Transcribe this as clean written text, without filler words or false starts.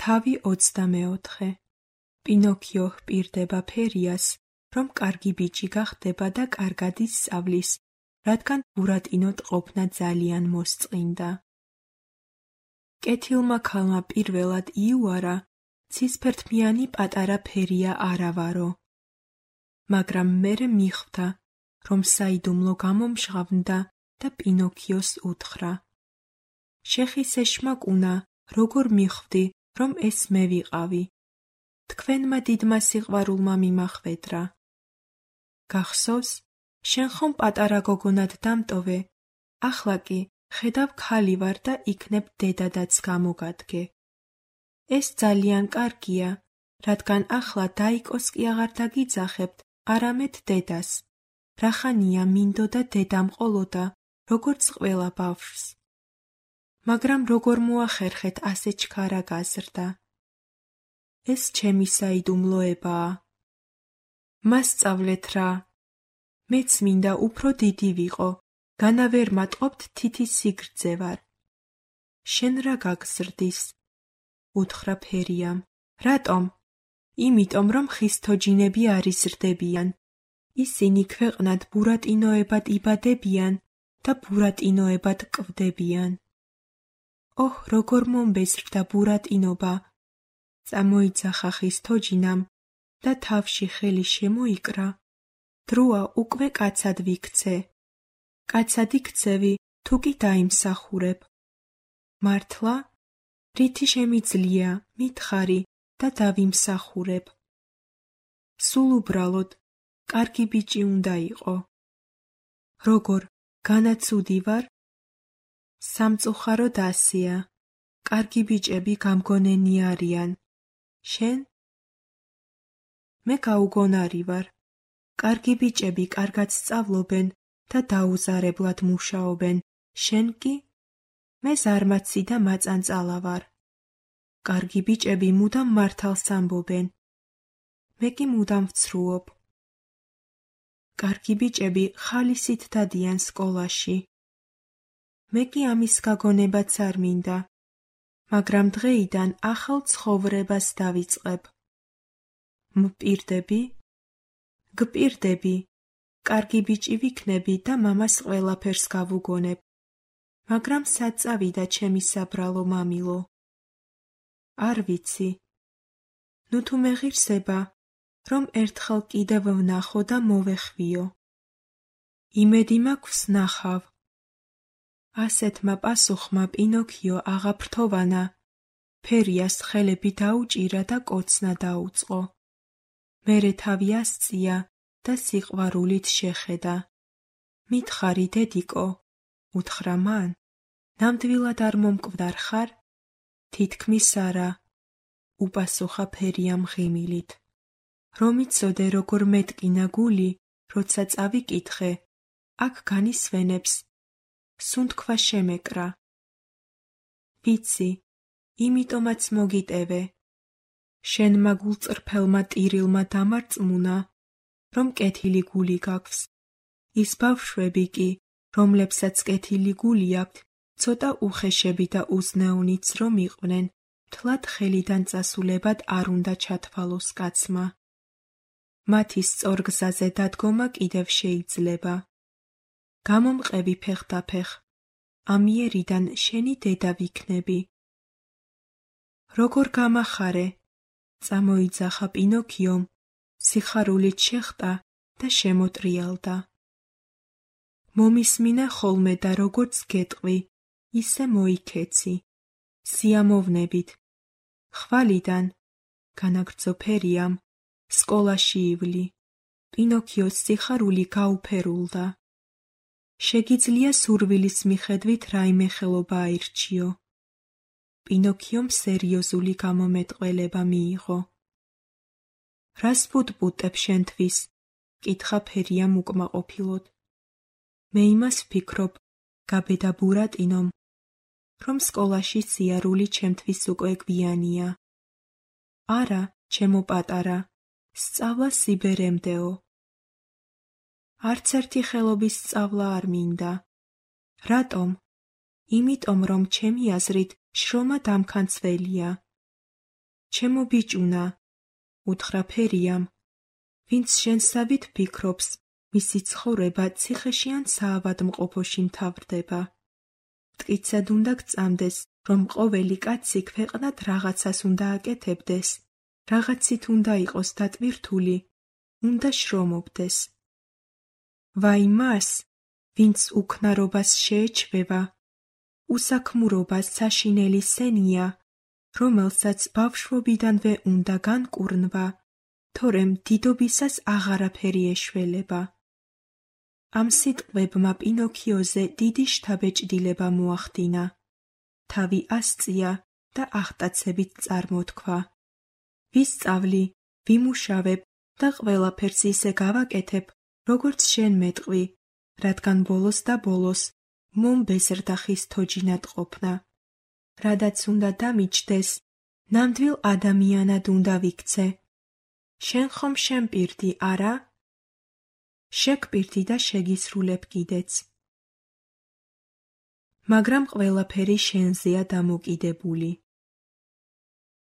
თავი 24. პინოქიო ჰპირდება ფერიას, რომ კარგი ბიჭი გახდება და კარგად ისწავლის, რადგან ბურატინოდ ყოფნა ძალიან მოსწყინდა. კეთილმა ქალმა პირველად იუარა, ცისფერთმიანი პატარა ფერია არავარო. მაგრამ მერე მიხვდა, რომ საიდუმლო გამომჟღავნდა და პინოქიოს უთხრა: შეხის ეშმაკუნა, როგორ მიხვდი, რომ ეს მე ვიყავი? თქვენმა დიდმა სიყვარულმა მიმახვედრა. გახსოვს, შენ ხომ პატარა გოგონად დამტოვე, ახლა კი ხედავ ქალი ვარ და იქნებ დედადაც გამოგადგე. ეს ძალიან კარგია, რადგან ახლა დაიკოს კი აღარ დაგიძახებთ, არამედ დედას. რახანია მინდოდა დედამ ყოლოდა, როგორც ყველა ბავშვს. მაგრამ როგორ მოახერხეთ ასე ჩქარა გაზრდა? ეს ჩემი საიდუმლოებაა. მასწავლეთ რა. მეც მინდა უფრო დიდი ვიყო, განა ვერ მატყობთ თითის სიგრძე ვარ. შენ რა გაგზრდის? უთხრა ფერიამ. რატომ? იმიტომ რომ ხის თოჯინები არ იზრდებიან. ისინი ქვეყნად ბურატინოებად იბადებიან და ბურატინოებად კვდებიან. ოჰ, როგორ მომბეზრდა ბურატინობა! წამოიძახა ხის თოჯინამ და თავში ხელი შემოიკრა. დროა უკვე კაცად ვიქცე. კაცად იქცევი, თუ კი დაიმსახურებ. მართლა? რითი შემიძლია, მითხარი და დავიმსახურებ. სულ უბრალოდ, კარგი ბიჭი უნდა იყო. როგორ, განაცუდი ვარ? სამწუხაროდ ასეა. კარგი ბიჭები გამგონენი არიან. შენ? მე გაუგონარი ვარ. კარგი ბიჭები კარგად სწავლობენ და დაუზარებლად მუშაობენ. შენ კი? მე ზარმაცი და მაწანწალა ვარ. კარგი ბიჭები მუდამ მართალს ამბობენ. მე კი მუდამ ვცრუობ. კარგი ბიჭები ხალისით დადიან სკოლაში. მე კი ამის გაგონებაც არ მინდა, მაგრამ დღეიდან ახალ ცხოვრებას დავიწყებ. მპირდები? გპირდები, კარგი ბიჭი ვიქნები და მამას ყველაფერს გავუგონებ. მაგრამ სად წავიდა ჩემი საბრალო მამილო? არ ვიცი. ნუ თუ მეღირსება, რომ ერთხელ კიდევ ვნახო და მოვეხვიო. იმედი მაქვს ნახავ. ასეთმა პასუხმა პინოქიო აღაფრთოვანა, ფერიას ხელები დაუჭირა და კოცნა დაუწყო. მერე თავი ასწია და სიყვარულით შეხედა. მითხარი დედიკო, უთხრა მან, ნამდვილად არ მომკვდარ ხარ? თითქმის არა, უპასუხა ფერიამ ღიმილით. რომ იცოდე როგორ მეტკინა გული, როცა წავიკითხე, აქ განისვენებს, სუნთქვა შემეკრა. ვიცი, იმიტომაც მოგიტევე. შენმა გულწრფელმა ტირილმა დამარწმუნა, რომ კეთილი გული გაქვს. ის ბავშვები კი, რომლებსაც კეთილი გული აქვთ, ცოტა უხეშები და უზნეუნიც რომ იყვნენ, თლად ხელიდან წასულებად არ უნდა ჩათვალოს კაცმა. მათი სწორგზაზე დადგომა კიდევ შეიძლება. გამომყევი ფეხდაფეხ, ამიერიდან შენი დედა ვიქნები. როგორ გამახარე? წამოიძახა პინოქიომ, სიხარულით შეხვდა და შემოტრიალდა. მომისმინე ხოლმე და როგორც გეტყვი, ისე მოიქეცი. სიამოვნებით. ხვალიდან, განაგრძო ფერიამ, სკოლაში ივლი. პინოქიოს სიხარული გაუფერულდა. შეგიძლია სურვილის მიხედვით რაიმე ხელობა აირჩიო. პინოქიომ სერიოზული გამომეტყველება მიიღო. რას ვუტყუტებ შენთვის? კითხა ფერიამ უკმაყოფილოდ. მე იმას ვფიქრობ, გაბედა ბურატინომ, რომ სკოლაში სიარული ჩემთვის უკვე გვიანია. არა, ჩემო პატარა, სწავლა სიბერემდეო. არც ერთი ხელობის სწავლა არ მინდა. რატომ? იმიტომ რომ ჩემი აზრით შრომა დამქანცველია. ჩემო ბიჭუნა, უთხრა ფერიამ, ვინც შენსავით ფიქრობს, მისი ცხოვრება ციხეში ან საავადმყოფოში მთავრდება. მტკიცად უნდა გწამდეს, რომ ყოველი კაცი ქვეყნად რაღაცას უნდა აკეთებდეს, რაღაცით უნდა იყოს დატვირთული, უნდა შრომობდეს. ვაი მას, ვინც უქნარობას შეეჩვევა, უსაქმურობას საშინელი სენია, რომელსაც ბავშვობიდანვე უნდა განკურნვა, თორემ დიდობისას აღარაფერი ეშველება. ამ სიტყვებმა პინოქიოზე დიდი შთაბეჭდილება მოახდინა. თავი ასწია და აღტაცებით წარმოთქვა. ვისწავლი, ვიმუშავებ და ყველაფერს ისე გავაკეთებ, როგორც შენ მეტყვი, რადგან ბოლოს და ბოლოს მომბეზრდა ხის თოჯინად ყოფნა. რადაც უნდა დამიჯდეს, ნამდვილ ადამიანად უნდა ვიქცე. შენ ხომ შემპირდი, არა? შეგპირდი და შეგისრულებ კიდეც. მაგრამ ყველაფერი შენზეა დამოკიდებული.